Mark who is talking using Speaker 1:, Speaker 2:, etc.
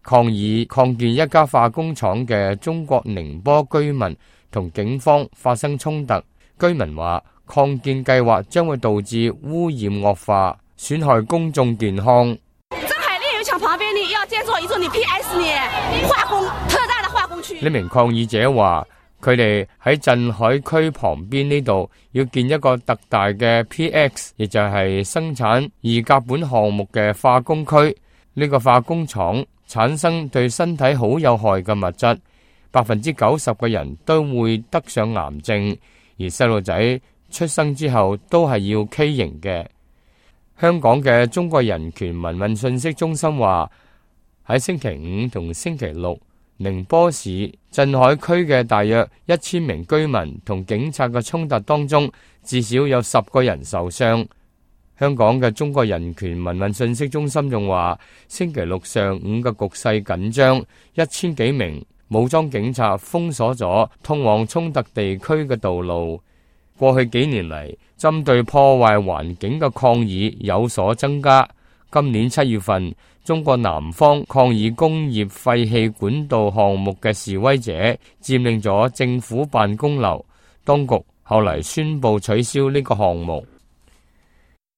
Speaker 1: 抗議擴建一家化工廠嘅中國寧波居民同警方發生衝突。居民話擴建計劃將會導致污染惡化，損害公眾健康。
Speaker 2: 鎮海煉油廠旁邊呢要建造一座你 PS 呢化工特大的化工區。
Speaker 1: 呢名抗議者話，佢哋喺鎮海區旁邊呢度要建一個特大嘅 PX， 亦就係生產二甲苯項目嘅化工區。呢個化工廠產生對身體好有害嘅物質，90%嘅人都會得上癌症，而細路仔出生之後都係要畸形嘅。香港嘅中國人權民運信息中心話，喺星期五同星期六，寧波市鎮海區嘅大約1000名居民同警察嘅衝突當中，至少有10個人受傷。香港嘅中國人權民運信息中心仲話，星期六上午嘅局勢緊張，1000幾名武裝警察封鎖咗通往衝突地區嘅道路。過去幾年嚟，針對破壞環境嘅抗議有所增加。今年7月份，中國南方抗議工業廢氣管道項目嘅示威者佔領咗政府辦公樓，當局後嚟宣布取消呢個項目。